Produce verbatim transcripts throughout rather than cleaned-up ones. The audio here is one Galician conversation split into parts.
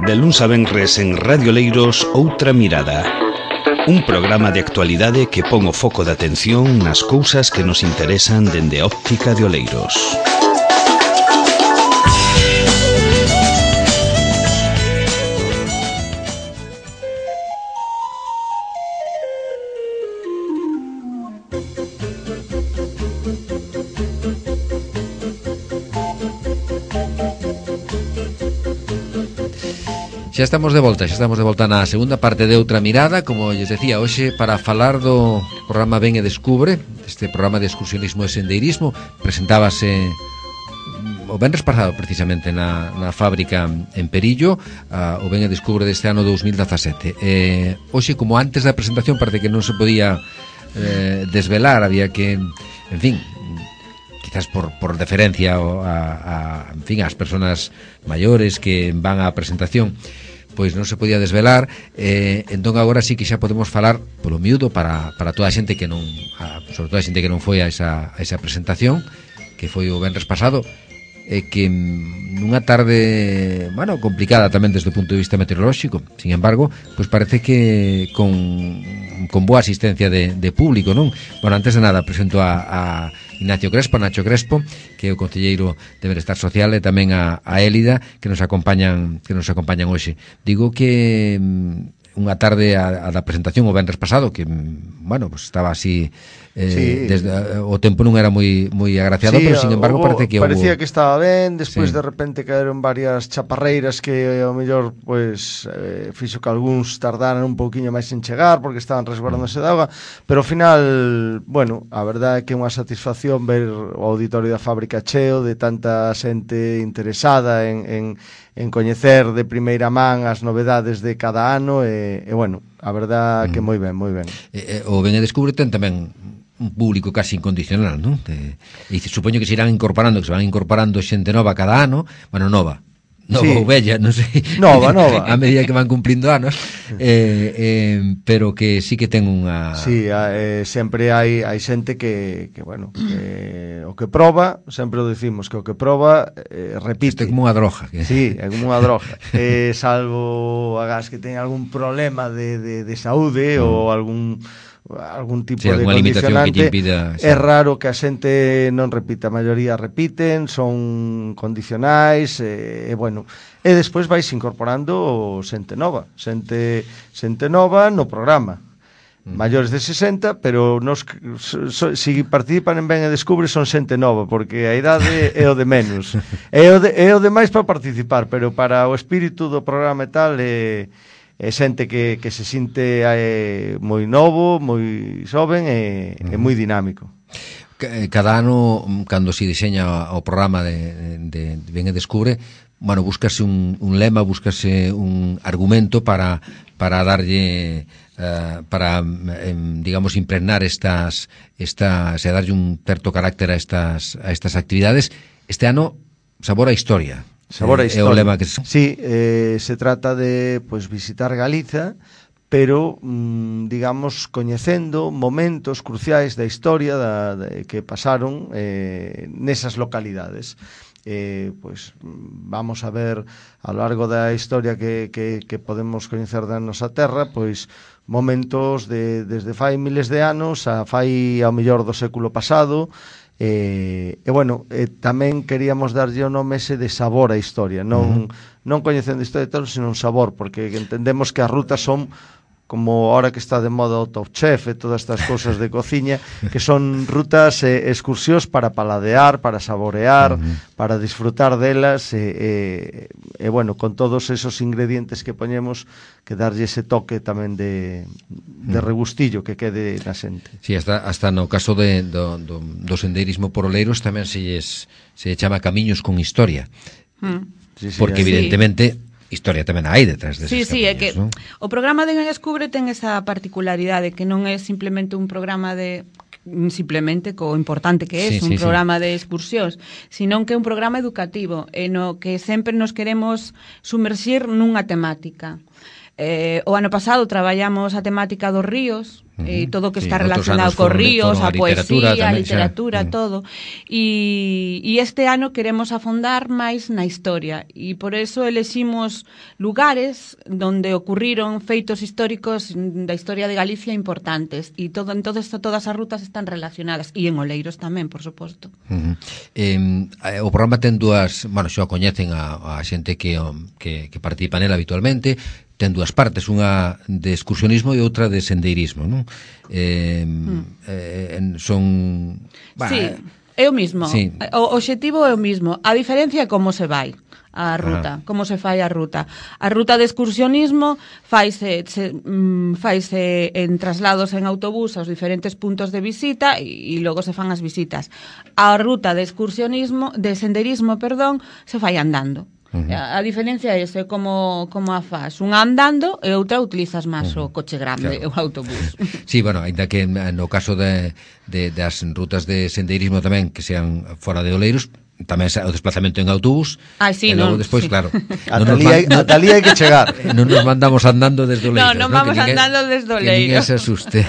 De luns a venres en Radio Oleiros, Outra Mirada. Un programa de actualidade que pon o foco de atención nas cousas que nos interesan dende a óptica de Oleiros. Xa estamos de volta, xa estamos de volta na segunda parte de Outra Mirada, como lles decía hoxe, para falar do programa Ven e Descubre, este programa de excursionismo e sendeirismo. Presentábase o venres pasado precisamente na, na fábrica en Perillo, uh, o Ven e Descubre deste ano dous mil dezasete. Eh, hoxe, como antes da presentación parece que non se podía eh, desvelar, había que, en fin, quizás por, por deferencia a, a, en fin, ás persoas maiores que van á presentación, pois non se podía desvelar, eh, entón agora sí que xa podemos falar polo miúdo para, para toda a xente que non a, sobre todo a xente que non foi a esa, a esa presentación, que foi o venres pasado, e que nunha tarde, bueno, complicada tamén desde o punto de vista meteorolóxico, sin embargo, pois parece que con, con boa asistencia de, de público, non? Bueno, antes de nada presento a, a Ignacio Crespo, Nacho Crespo, que é o concelleiro de Benestar Social, e tamén a, a Élida, que nos acompañan que nos acompañan hoxe. Digo que unha tarde a, a da presentación o venres pasado, que, bueno, pues estaba así eh, sí. desde, o tempo non era moi moi agraciado, sí, pero sin embargo o, parece que parecía hubo... que estaba ben, despois sí. de repente caeron varias chaparreiras que ao mellor pues eh, fixo que algúns tardaran un pouquiño máis en chegar porque estaban resguardándose de auga, pero ao final, bueno, a verdade é que é unha satisfacción ver o auditorio da fábrica cheo de tanta xente interesada en, en en coñecer de primeira man as novedades de cada ano e, e bueno, a verdade que moi ben, moi ben. E, e, o Ven e Descubre ten tamén un público casi incondicional, non? E, e supoño que se irán incorporando, que se van incorporando xente nova cada ano, bueno, nova, nova sí. ou bella, non sei. Nova, nova. A medida que van cumplindo anos, eh, eh, pero que sí que ten unha... Sí, eh, sempre hai hai xente que, que bueno, que o que proba, sempre o decimos, que o que proba eh, repite. Isto é como unha droga. Que... Sí, é como unha droga. eh, salvo agás que ten algún problema de, de, de saúde mm. ou algún algún tipo sí, de condicionante, impida, sí. É raro que a xente non repita, a maioría repiten, son condicionais, e, e bueno, e despois vais incorporando xente nova, xente, xente nova no programa, mm. maiores de sesenta, pero nos, so, se si participan en Ven e Descubre son xente nova, porque a idade é o de menos, é o de, é o de máis para participar, pero para o espírito do programa e tal é... é xente que, que se sinte eh, moi novo, moi xoven e, uh-huh. e moi dinámico. Cada ano, cando se diseña o programa de, de, de Ven e Descubre, bueno, búscase un, un lema, búscase un argumento para, para darlle uh, para, eh, digamos, impregnar estas, estas, e darlle un certo carácter a estas, a estas actividades. Este ano, sabor a historia. Sabor a historia. É o lema que... Sí, eh, se trata de pues, visitar Galiza, pero, mmm, digamos, coñecendo momentos cruciais da historia da, de, que pasaron eh, nesas localidades. Eh, pues, vamos a ver a lo largo da historia que, que, que podemos coñecer da nosa terra, pois momentos de, desde fai miles de anos a fai ao mellor do século pasado. E, e bueno, e tamén queríamos darlle o nome ese de sabor á historia, non, uh-huh. non coñecendo a historia de todo, sino un sabor, porque entendemos que as rutas son como ahora que está de moda o Top Chef e todas estas cousas de cociña, que son rutas e eh, excursións para paladear, para saborear, uh-huh. para disfrutar delas e, e, e bueno, con todos esos ingredientes que poñemos, que darlle ese toque tamén de, de regustillo que quede na xente. Sí, hasta, hasta no caso de, do, do, do sendeirismo por Oleiros tamén se lles, se chama Camiños con Historia. Mm. Sí, sí, porque evidentemente... Sí. Historia tamén hai detrás deses sí, sí, camiños, é que ¿no? O programa de Ven e Descubre ten esa particularidade que non é simplemente un programa de simplemente co importante que é sí, un sí, programa sí. de excursións, sino que é un programa educativo en o que sempre nos queremos sumerxir nunha temática. Eh, o ano pasado traballamos a temática dos ríos, Uh-huh. E todo o que sí, está relacionado co ríos, a poesía, a literatura, uh-huh. todo. E, e este ano queremos afondar máis na historia e por eso eleximos lugares donde ocurriron feitos históricos da historia de Galicia importantes e todo, entonces todas as rutas están relacionadas e en Oleiros tamén, por suposto. Uh-huh. Eh, o programa ten dúas, bueno, xa o coñecen a, a xente que, que, que participa nela habitualmente. Ten dúas partes, unha de excursionismo e outra de sendeirismo, non? Eh, mm. eh, son... Bah, sí, é o mismo. Sí. O obxectivo é o mismo. A diferencia é como se vai a ruta, Ajá. como se fai a ruta. A ruta de excursionismo faise, se, mm, faise en traslados en autobús aos diferentes puntos de visita e, e logo se fan as visitas. A ruta de excursionismo, de senderismo, perdón, se fai andando. Uh-huh. A, a diferencia é ese, como, como a faz unha andando e outra utilizas máis uh-huh. o coche grande, claro. o autobús. Sí, bueno, ainda que no caso de, de, das rutas de sendeirismo tamén que sean fora de Oleiros, tamén o desplazamento en autobús. Ah, sí, e logo non, despois, sí. claro. Ata ali hai que chegar. Non nos mandamos andando desde Oleiros. Non, non vamos ninguén, andando desde Oleiros. Que ninguén se asuste.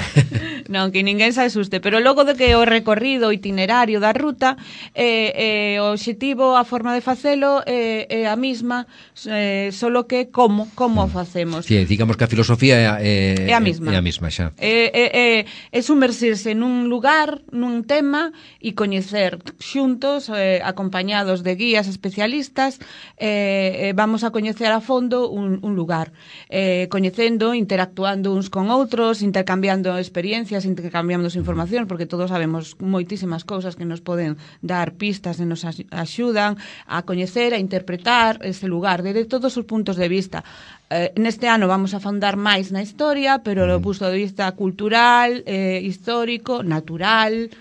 Non, que ninguén se asuste. Pero logo de que o recorrido, o itinerario da ruta, eh, eh, o obxectivo, a forma de facelo é eh, eh, a mesma, eh, solo que como, como o facemos. Sí, digamos que a filosofía é, é a mesma. É a mesma xa. É, é, é, é sumersirse nun lugar, nun tema e coñecer xuntos, eh, acompañados de guías especialistas, eh, vamos a coñecer a fondo un, un lugar, eh, coñecendo, interactuando uns con outros, intercambiando experiencias, intercambiando información, porque todos sabemos moitísimas cousas que nos poden dar pistas e nos axudan a coñecer, a interpretar ese lugar desde todos os puntos de vista. Eh, neste ano vamos a afondar máis na historia, pero do punto de vista cultural, eh, histórico, natural,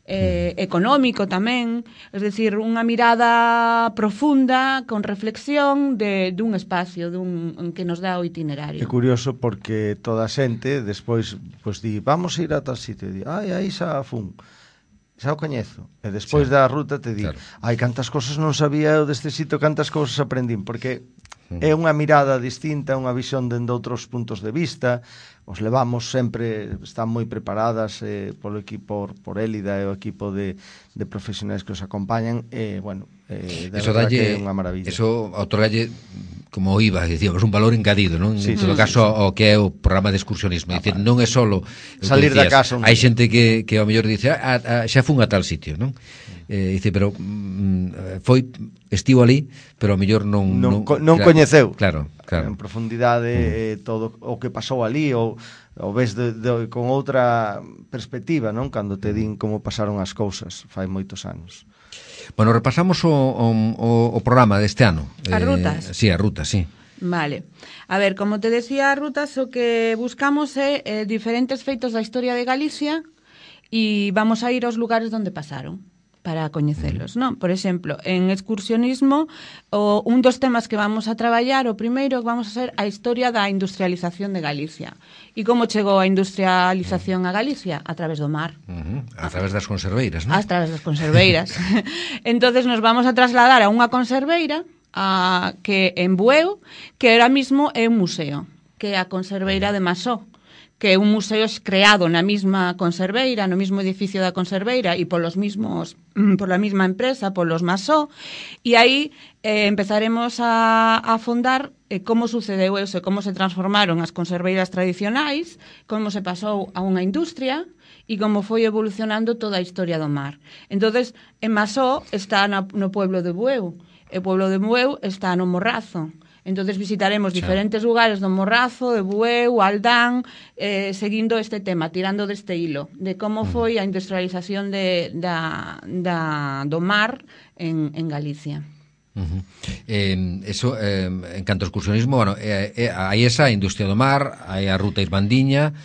Eh, económico tamén, es decir, unha mirada profunda, con reflexión de dun espacio dun, que nos dá o itinerario. É curioso porque toda a xente despois pues, di, vamos a ir a tal sitio, e di, ai, aí xa fun, xa o coñezo, e despois sí. da ruta te di, claro. ai, cantas cosas non sabía eu deste sitio, cantas cousas aprendín, porque é unha mirada distinta, unha visión dende outros puntos de vista. Os levamos sempre, están moi preparadas eh, polo equipo, por Élida e o equipo de, de profesionais que os acompañan, e, eh, bueno, eh, de eso verdad dalle, que é unha maravilla. Eso outorgalle, como iba, dicíamos, un valor engadido, non? Sí, en todo sí, caso, sí, sí. o que é o programa de excursionismo. Ah, dicir, non é solo salir decías, da casa. Un... Hai xente que, que ao mellor dice, ah, ah, xa fun a tal sitio, non? Eh, dice, pero mm, foi estivo ali, pero ao mellor non non, non, non claro, coñeceu. Claro, claro. En profundidade mm. eh, todo o que pasou ali, ou o ves de, de, con outra perspectiva, non? Cando te din como pasaron as cousas fai moitos anos. Bueno, repasamos o, o, o programa deste ano. As rutas? Eh, sí, as rutas, sí. Vale. A ver, como te decía, as rutas o que buscamos é eh, diferentes feitos da historia de Galicia e vamos a ir aos lugares onde pasaron para coñecelos, non? Por exemplo, en excursionismo, o, un dos temas que vamos a traballar, o primeiro, vamos a ser a historia da industrialización de Galicia. E como chegou a industrialización a Galicia? A través do mar. Uh-huh. A través das conserveiras, non? A través das conserveiras. Entonces nos vamos a trasladar a unha conserveira a, que en Bueu, que ahora mismo é un museo, que é a conserveira de Masó, que é un museo creado na mesma conserveira, no mesmo edificio da conserveira e polos mismos, pola mesma empresa, polos Masó, e aí eh, empezaremos a, a afondar eh, como sucedeu eso, como se transformaron as conserveiras tradicionais, como se pasou a unha industria e como foi evolucionando toda a historia do mar. Entonces, en Masó está no, no pueblo de Bueu, e o pueblo de Bueu está no Morrazo. Entonces visitaremos diferentes lugares do Morrazo, de Bueu, Aldán, eh, seguindo este tema, tirando deste hilo, de como foi a industrialización de, da, da, do mar en, en Galicia. Uh-huh. Eh, eso, eh, en canto ao excursionismo, bueno, eh, eh, hai esa industria do mar, hai a ruta Irmandiña,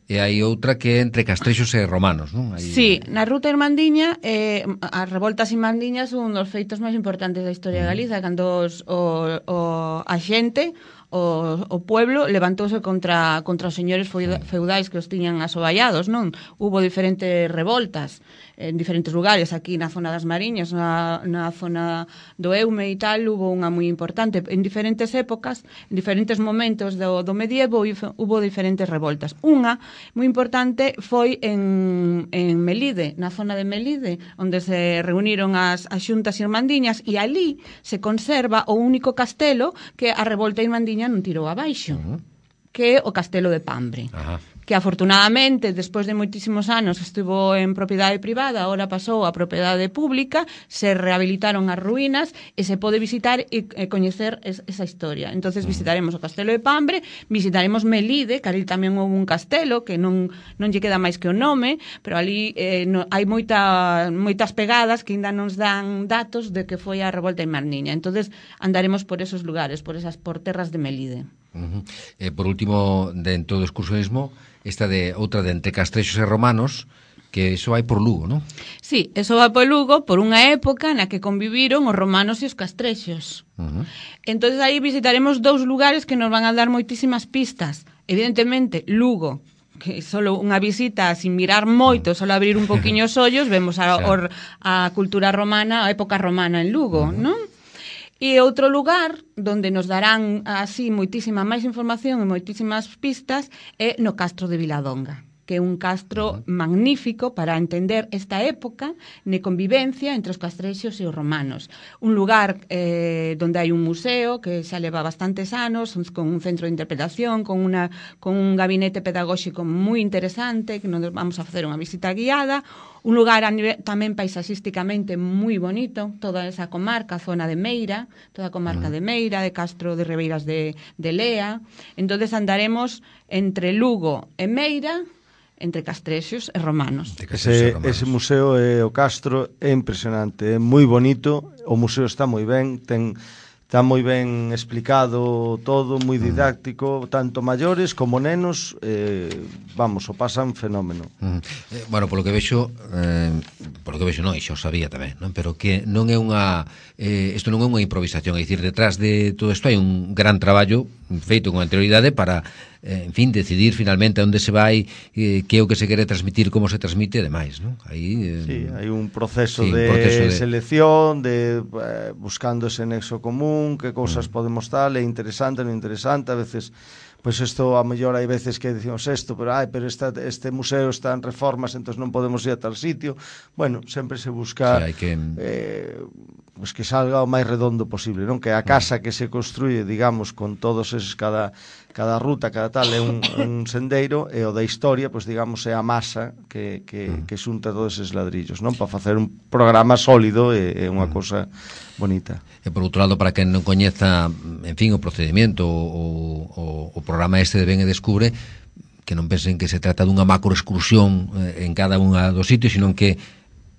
e hai outra que é entre castrexos e romanos, non? Hai... Sí, na ruta Irmandiña, eh, as revoltas irmandiñas son un dos feitos máis importantes da historia de Galiza, cando os, o, o, a xente, o, o pueblo levantouse contra, contra os señores feudais que os tiñan asoballados, non? Hubo diferentes revoltas en diferentes lugares, aquí na zona das Mariñas, na, na zona do Eume e tal, hubo unha moi importante. En diferentes épocas, en diferentes momentos do, do medievo, hubo diferentes revoltas. Unha moi importante foi en, en Melide, na zona de Melide, onde se reuniron as, as xuntas irmandiñas, e ali se conserva o único castelo que a revolta irmandiña non tirou abaixo, uh-huh. que é o castelo de Pambre. Ajá. Que afortunadamente, despois de moitísimos anos, estivo en propiedade privada, agora pasou a propiedade pública, se rehabilitaron as ruínas e se pode visitar e, e coñecer es, esa historia. Entonces visitaremos o castelo de Pambre, visitaremos Melide, que ali tamén houve un castelo, que non, non lle queda máis que o nome, pero ali eh, no, hai moita, moitas pegadas que ainda nos dan datos de que foi a revolta irmandiña. Entonces andaremos por esos lugares, por esas por terras de Melide. Uh-huh. Eh, por último, dentro do excursionismo, esta de outra de entre castrexos e romanos, que iso vai por Lugo, non? Sí, eso vai por Lugo por unha época na que conviviron os romanos e os castrexos. Uh-huh. Entonces aí visitaremos dous lugares que nos van a dar moitísimas pistas. Evidentemente, Lugo, que solo unha visita sin mirar moito, solo abrir un poquinho os ollos, vemos a, or, a cultura romana, a época romana en Lugo, uh-huh. non? E outro lugar donde nos darán así moitísima máis información e moitísimas pistas é no Castro de Viladonga, que é un castro uh-huh. magnífico para entender esta época de convivencia entre os castrexos e os romanos. Un lugar eh, donde hai un museo que xa leva bastantes anos, con un centro de interpretación, con, una, con un gabinete pedagóxico moi interesante, que nos vamos a facer unha visita guiada. Un lugar a nivel, tamén paisaxísticamente moi bonito, toda esa comarca, zona de Meira, toda a comarca uh-huh. de Meira, de Castro de Ribeiras de, de Lea. Entonces andaremos entre Lugo e Meira, entre castrexos e romanos. Ese, ese museo é o Castro, é impresionante, é moi bonito, o museo está moi ben, ten... Está moi ben explicado todo, moi didáctico, tanto maiores como nenos, eh, vamos, o pasan fenómeno. Uh-huh. Eh, bueno, polo que vexo, eh, polo que vexo non, xa o sabía tamén, non? Pero que non é unha, eh, isto non é unha improvisación, é dicir, detrás de todo isto hai un gran traballo feito con anterioridade para, eh, en fin, decidir finalmente onde se vai, eh, que é o que se quere transmitir, como se transmite e demais, non? Aí, eh, sí, hai un proceso, sí, de, un proceso de selección, de eh, buscando ese nexo común, que cousas mm. podemos tal, é interesante, non interesante, a veces pois pues isto, a mellor hai veces que dicimos isto, pero ai, pero esta, este museo está en reformas, entón non podemos ir a tal sitio. Bueno, sempre se busca sí, hai que... eh, pues que salga o máis redondo posible, non? Que a casa que se construye, digamos, con todos eses, cada, cada ruta, cada tal, é un, un sendeiro, e o da historia, pues digamos, é a masa que, que, que xunta todos eses ladrillos, non? Para facer un programa sólido e, e unha cosa bonita. E por outro lado, para quen non coñeza, en fin, o procedimento, o, o, o programa este de Ven e Descubre, que non pensen que se trata dunha macro excursión eh, en cada unha dos sitios, sino que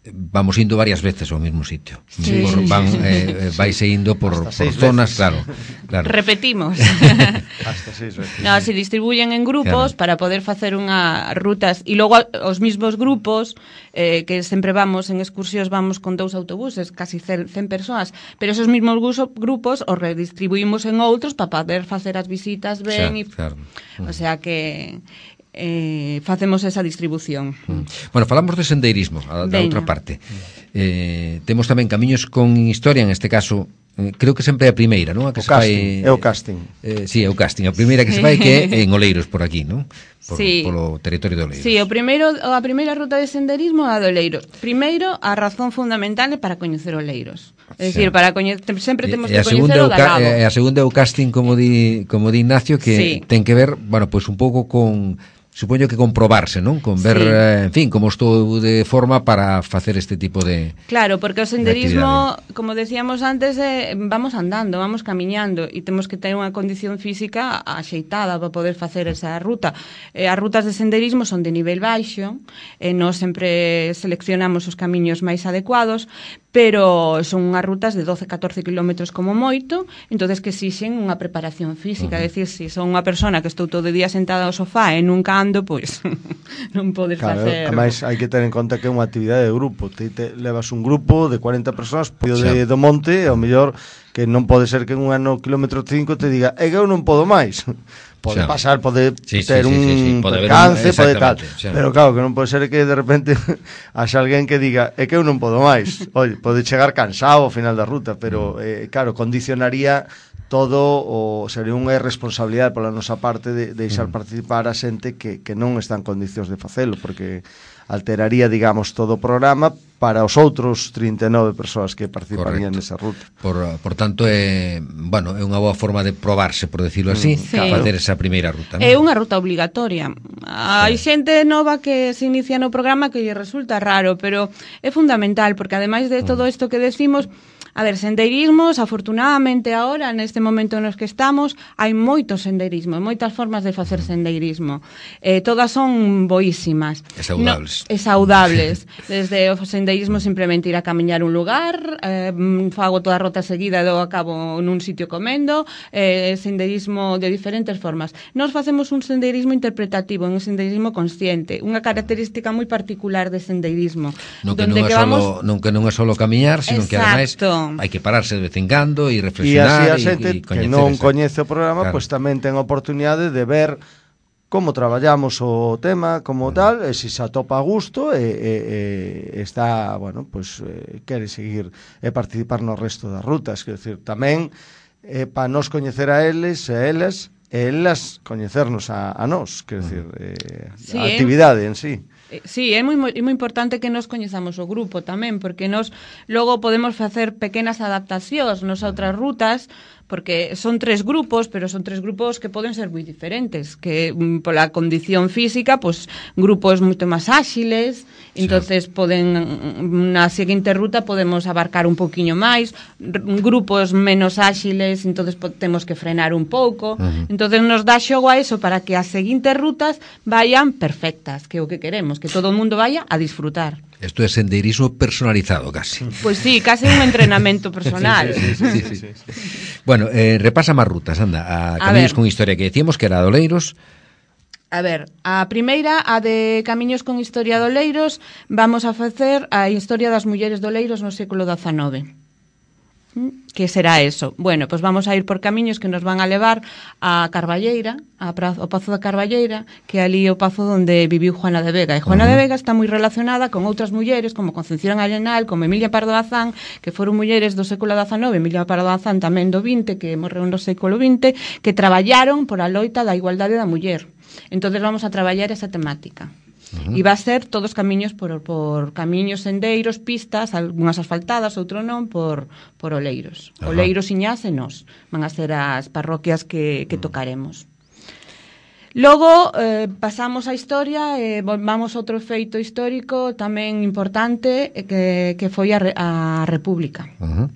vamos indo varias veces ao mesmo sitio. Sí, por, van, sí, eh, vaise indo por, por zonas, claro, claro. Repetimos. Hasta seis veces. No, se distribuyen en grupos, claro, para poder facer unha rutas, e logo os mismos grupos, eh, que sempre vamos en excursións, vamos con dous autobuses, casi cen persoas, pero esos mismos grupos os redistribuímos en outros para poder facer as visitas ben, e, claro, claro. O sea que eh, facemos esa distribución. Mm. Bueno, falamos de sendeirismo, a, da outra parte. Eh, temos tamén camiños con historia, en este caso, eh, creo que sempre é a primeira, non? A que o se casting, fai, é o casting. Eh, sí, é o casting. A primeira que se fai que é en Oleiros, por aquí, non? Por, sí. Polo territorio de Oleiros. Sí, o primeiro, a primeira ruta de senderismo é a de Oleiros. Primeiro, a razón fundamental é para coñecer Oleiros. É dicir, para coñecer, sempre temos que coñecer o Galabo. E a segunda é o casting, como di, como di Ignacio, que sí, ten que ver, bueno, pois pues un pouco con... Supoño que comprobarse, non? Con ver, sí, eh, en fin, como estou de forma para facer este tipo de... Claro, porque o senderismo, de como decíamos antes, eh, vamos andando, vamos camiñando, e temos que ter unha condición física axeitada para poder facer esa ruta. Eh, as rutas de senderismo son de nivel baixo, e nós sempre seleccionamos os camiños máis adecuados, pero son unhas rutas de doce a catorce kilómetros como moito, entonces que exixen unha preparación física, uh -huh. decir, se son unha persona que estou todo o día sentada ao sofá e nunca ando, pois non podes claro, facer. Ademais, hai que ter en conta que é unha actividade de grupo, te, te levas un grupo de cuarenta persoas poio de, do monte, e ao mellor que non pode ser que en un ano quilómetro cinco te diga, é que eu non podo máis. Pode xa. pasar, pode sí, ter sí, sí, un sí, sí. Pode percance, un... pode tal, xa. Pero claro, que non pode ser que de repente haxa alguén que diga, é que eu non podo máis. Oye, pode chegar cansado ao final da ruta, pero eh, claro, condicionaría todo, o sería unha irresponsabilidade pola nosa parte de, de deixar mm. participar a xente que, que non está en condicións de facelo, porque alteraría, digamos, todo o programa para os outros trinta e nove persoas que participarían nesa ruta. Por, por tanto, é, bueno, é unha boa forma de probarse, por decirlo así, sí. facer esa primeira ruta, ¿no? É unha ruta obligatoria. Hai sí. xente nova que se inicia no programa que lle resulta raro, pero é fundamental, porque ademais de todo isto que decimos, a ver, sendeirismos, afortunadamente agora, neste momento nos que estamos, hai moito sendeirismo, moitas formas de facer sendeirismo. Eh, todas son boísimas. E saudables. No, e saudables. Desde o sendeirismo simplemente ir a camiñar un lugar, eh, fago toda a rota seguida e do acabo nun sitio comendo, eh, sendeirismo de diferentes formas. Nós facemos un sendeirismo interpretativo, un sendeirismo consciente, unha característica moi particular de sendeirismo. Non que non é, vamos... solo, non que non é solo camiñar, sino que ademais hai que pararse de vez en cando e reflexionar e, e, e, e que non esa... coñece o programa, claro. Pois tamén ten a oportunidade de ver como traballamos o tema como tal, e se se atopa a gusto e, e, e está, bueno, pois eh, quere seguir e participar no resto das rutas, quer decir, tamén eh, para nos coñecer a eles e elas e elas coñecernos a, a nós, quer decir, eh, sí, a actividade eh? en sí. Sí, é moi, moi importante que nos coñezamos o grupo tamén, porque nos logo podemos facer pequenas adaptacións nas outras rutas, porque son tres grupos, pero son tres grupos que poden ser moi diferentes, que mm, pola condición física, pues grupos moito máis áxiles, sí. entonces poden na seguinte ruta podemos abarcar un poquiño máis, grupos menos áxiles, entonces temos que frenar un pouco. Uh -huh. Entonces nos dá xogo a eso para que as seguintes rutas vayan perfectas, que é o que queremos, que todo o mundo vaya a disfrutar. Isto é sendeirismo personalizado, casi. Pois pues sí, casi un entrenamento personal. sí, sí, sí, sí, sí, sí. Bueno, eh, repasa máis rutas, anda. A Camiños con Historia, que decíamos que era de Oleiros. A ver, a primeira, a de Camiños con Historia de Oleiros, vamos a facer a historia das mulleres de Oleiros no século dezanove. Que será eso? Bueno, pues vamos a ir por camiños que nos van a levar a Carballeira, a prazo, ao Pazo da Carballeira, que é ali o pazo onde viviu Juana de Vega. E Juana uh -huh. de Vega está moi relacionada con outras mulleres, como Concepción Arenal, como Emilia Pardo Bazán, que foron mulleres do século dezanove, Emilia Pardo Bazán tamén do vinte, que morreu no século vinte, que traballaron por a loita da igualdade da muller. Entonces vamos a traballar esa temática. Uh -huh. E va a ser todos camiños por, por camiños, sendeiros, pistas, algunhas asfaltadas, outro non, por, por Oleiros. Uh -huh. Oleiros, Iñás e Nós van a ser as parroquias que, que tocaremos. Logo eh, pasamos a historia e eh, vamos a outro feito histórico tamén importante eh, que, que foi a, a República. Uh -huh.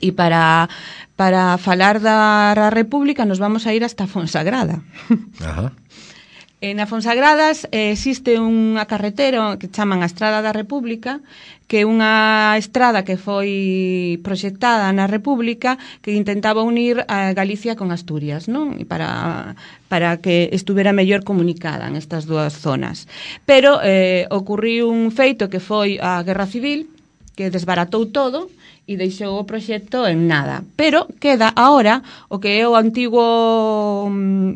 E para, para falar da República nos vamos a ir hasta Fonsagrada. Ajá. Uh -huh. Na Fonsagradas eh, existe unha carretera que chaman a Estrada da República, que é unha estrada que foi proxectada na República que intentaba unir a Galicia con Asturias, non? E para, para que estuvera mellor comunicada en estas dúas zonas. Pero eh, ocurriu un feito que foi a Guerra Civil, que desbaratou todo e deixou o proxecto en nada. Pero queda ahora o que é o antigo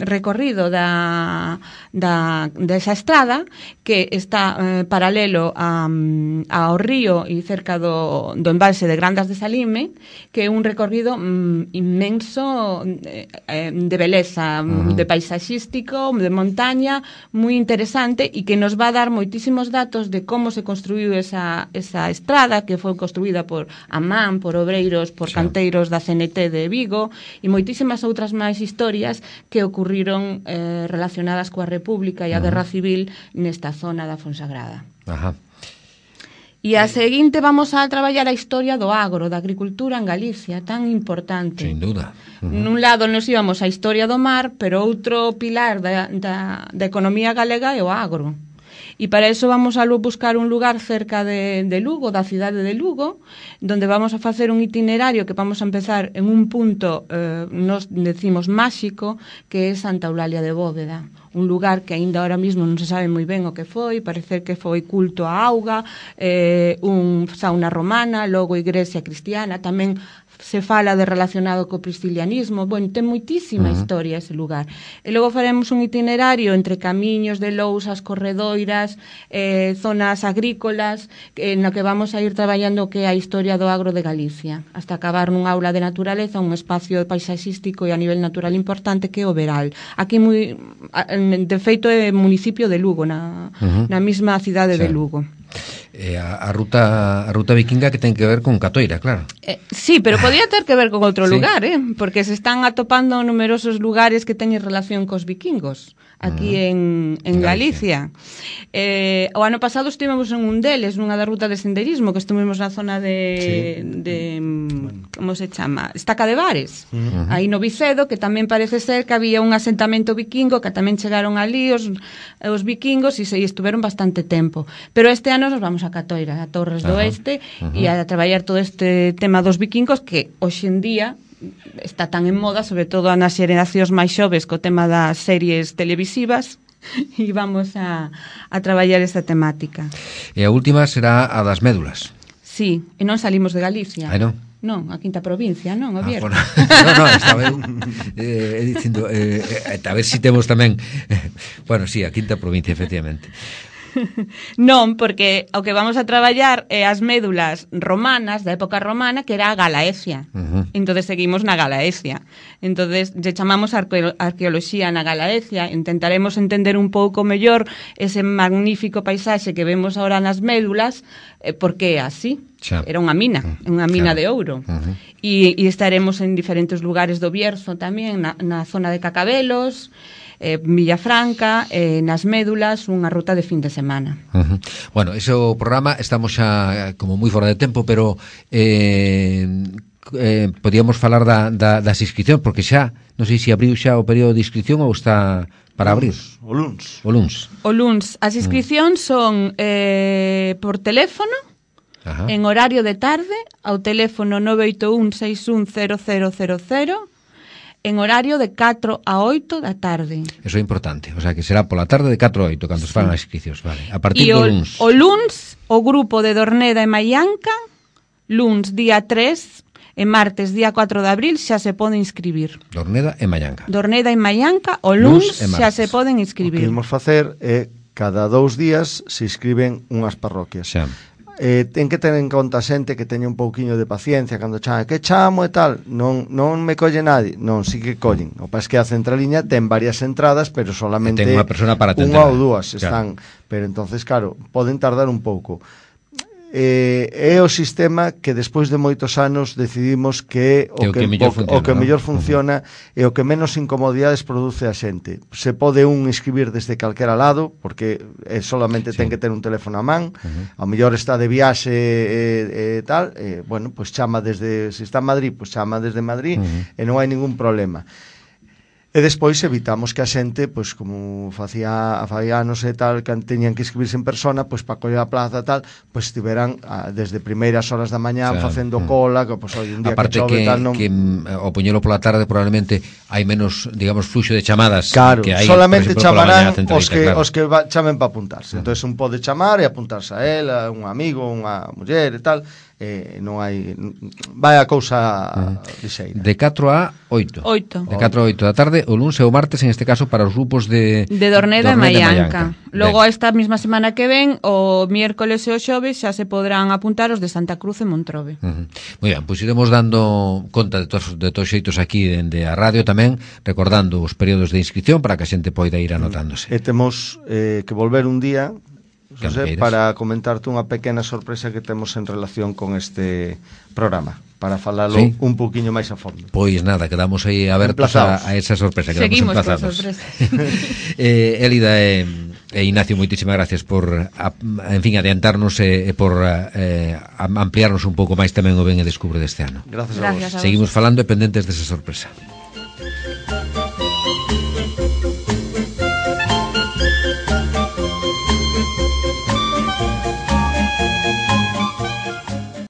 recorrido da, da, desa estrada, que está eh, paralelo a, ao río e cerca do, do embalse de Grandas de Salime, que é un recorrido mm, inmenso eh, de beleza, uh -huh. de paisaxístico, de montaña, moi interesante e que nos va a dar moitísimos datos de como se construiu esa, esa estrada, que foi construída por Amán, por obreiros, por sí. canteiros da C N T de Vigo e moitísimas outras máis historias que ocurriron eh, relacionadas coa República e a uh -huh. Guerra Civil nesta zona da Fonsagrada. Ajá. E a seguinte vamos a traballar a historia do agro, da agricultura en Galicia, tan importante. Sin duda. Uh -huh. Nun lado nos íbamos a historia do mar, pero outro pilar da, da, da economía galega é o agro. E para eso vamos a buscar un lugar cerca de, de Lugo, da cidade de Lugo, donde vamos a facer un itinerario que vamos a empezar en un punto, eh, nos decimos máxico, que é Santa Eulalia de Bóveda, un lugar que aínda ahora mismo non se sabe moi ben o que foi, parece que foi culto a auga, eh, un sauna romana, logo igrexa cristiana, tamén se fala de relacionado co priscilianismo, bueno, ten moitísima uh -huh. historia ese lugar. E logo faremos un itinerario entre camiños de lousas, corredoiras, eh, zonas agrícolas, eh, no que vamos a ir traballando que é a historia do agro de Galicia, hasta acabar nun aula de naturaleza, un espacio paisaxístico e a nivel natural importante que é o Veral. Aquí, moi, de feito, é municipio de Lugo, na, uh -huh. na mesma cidade sí. de Lugo. Eh, a, a ruta a ruta vikinga que ten que ver con Catoira, claro. Eh, sí, pero podía ter que ver con outro sí. lugar, eh? Porque se están atopando numerosos lugares que teñen relación cos vikingos aquí uh -huh. en, en Galicia. Galicia. Eh, o ano pasado estivemos en un deles, nunha da ruta de senderismo, que estuvimos na zona de, sí. de bueno. como se chama? Estaca de Bares, uh -huh. aí no Vicedo, que tamén parece ser que había un asentamento vikingo, que tamén chegaron ali os, os vikingos e se estuveron bastante tempo. Pero este ano nos vamos a Catoira, a Torres do Oeste, uh -huh. e a traballar todo este tema dos vikingos que hoxe en día está tan en moda, sobre todo nas xeracións máis xoves co tema das series televisivas, e vamos a, a traballar esta temática. E a última será a das médulas. Sí, e non salimos de Galicia. Ai non? Non, a quinta provincia, non, o Bierzo. Ah, bueno. No, no, estaba eu eh, dicindo, eh, eh, a ver si temos tamén, eh, bueno, sí, a quinta provincia, efectivamente. Non, porque o que vamos a traballar é as médulas romanas, da época romana, que era a Galaecia. Uh -huh. Entonces seguimos na Galaecia. Entonces lle chamamos arqueo arqueoloxía na Galaecia. Intentaremos entender un pouco mellor ese magnífico paisaxe que vemos ahora nas médulas, eh, porque é así. Xa. Era unha mina, unha mina claro. de ouro. Uh -huh. E, e estaremos en diferentes lugares do Bierzo tamén, na, na zona de Cacabelos, eh, Villafranca, eh, nas médulas, unha ruta de fin de semana. Uh -huh. Bueno, ese o programa, estamos xa como moi fora de tempo, pero eh, eh, podíamos falar da, da, das inscripcións, porque xa, non sei se abriu xa o período de inscripción ou está para abrir. O luns. O luns. O luns. As inscripcións son eh, por teléfono, ajá. en horario de tarde, ao teléfono nove oito un seis un cero cero cero cero, en horario de catro a oito da tarde. Eso é importante, o sea que será pola tarde de catro a oito cando sí. se fan as inscripcións, vale. A partir e do o, luns. O luns, o grupo de Dorneda e Maianca, luns día tres e martes día cuatro de abril xa se pode inscribir. Dorneda e Maianca. Dorneda e Maianca, o luns xa se poden inscribir. O que imos facer é cada dous días se inscriben unhas parroquias. Xa. Eh, ten que ter en conta xente que teña un pouquiño de paciencia cando chama, que chamo e tal, non, non me colle nadie, non, sí que collen. O pas que a centraliña ten varias entradas, pero solamente unha persona para unha ou dúas están, claro. Pero entonces claro, poden tardar un pouco. Eh, é o sistema que despois de moitos anos decidimos que o, o que, que mellor funciona, o que ¿no? mellor funciona uh-huh. e o que menos incomodidades produce a xente. Se pode un inscribir desde calquera lado, porque eh, solamente sí. ten que ter un teléfono a man, uh-huh. ao mellor está de viaxe e eh, eh, tal, eh, bueno, pois pues chama desde, se está en Madrid, pois pues chama desde Madrid uh-huh. e non hai ningún problema. E despois evitamos que a xente, pois como facía a Fabianos e tal, que teñan que inscribirse en persona, pois para coller a plaza tal, pois estiveran a, desde primeiras horas da mañá claro. facendo cola, que pois hoy un día aparte que chove que, tal non... que ao poñelo pola tarde probablemente hai menos, digamos, fluxo de chamadas claro, que hai, solamente exemplo, chamarán os que, claro. os que va, chamen para apuntarse. Uh-huh. Entonces un pode chamar e apuntarse a él, a un amigo, unha muller e tal. Eh, non hai vai a cousa uh-huh. lixeira. De catro a oito. oito. De catro a oito da tarde, o luns e o martes en este caso para os grupos de de Dorneda, Dorneda e Maianca. Logo ben. esta mesma semana que ven, o miércoles e o xoves xa se podrán apuntar os de Santa Cruz e Montrobe. Uh-huh. Moi ben, pois iremos dando conta de todos de todos xeitos aquí dende a radio tamén, recordando os períodos de inscripción para que a xente poida ir anotándose. E temos eh, que volver un día José, para comentarte unha pequena sorpresa que temos en relación con este programa, para falalo ¿sí? un poquinho máis a fondo. Pois nada, quedamos aí abertos a, a esa sorpresa, quedamos Seguimos emplazados. Seguimos eh, Elida e, e Ignacio, moitísimas gracias por a, en fin, adiantarnos e, e por eh, ampliarnos un pouco máis tamén o Ben e Descubre deste ano. Gracias a vos. Gracias a vos. Seguimos falando e pendentes desa sorpresa.